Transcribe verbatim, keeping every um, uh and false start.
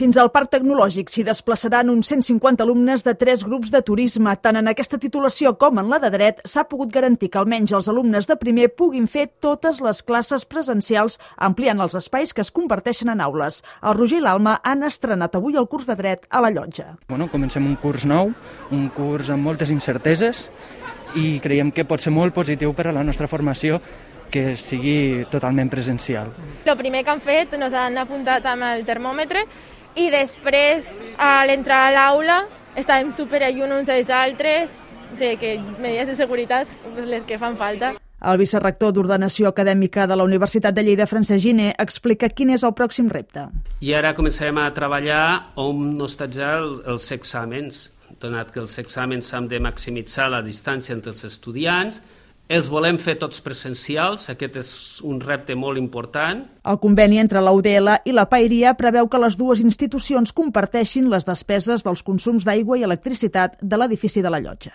Fins al Parc Tecnològic s'hi desplaçaran uns cent cinquanta alumnes de tres grups de turisme. Tant en aquesta titulació com en la de dret s'ha pogut garantir que almenys els alumnes de primer puguin fer totes les classes presencials, ampliant els espais que es comparteixen en aules. El Roger i l'Alma han estrenat avui el curs de dret a la Llotja. Bueno, comencem un curs nou, un curs amb moltes incerteses i creiem que pot ser molt positiu per a la nostra formació que sigui totalment presencial. El primer que han fet, ens han apuntat amb el termòmetre i després, a l'entrar a l'aula, estàvem superallunt uns dels altres, o sigui que medides de seguretat, les que fan falta. El vicerrector d'Ordenació Acadèmica de la Universitat de Lleida, Francesc Giner, explica quin és el pròxim repte. I ara començarem a treballar on hostatjar els exàmens, donat que els exàmens s'han de maximitzar la distància entre els estudiants. Els volem fer tots presencials, aquest és un repte molt important. El conveni entre la U D L i la Paeria preveu que les dues institucions comparteixin les despeses dels consums d'aigua i electricitat de l'edifici de la Llotja.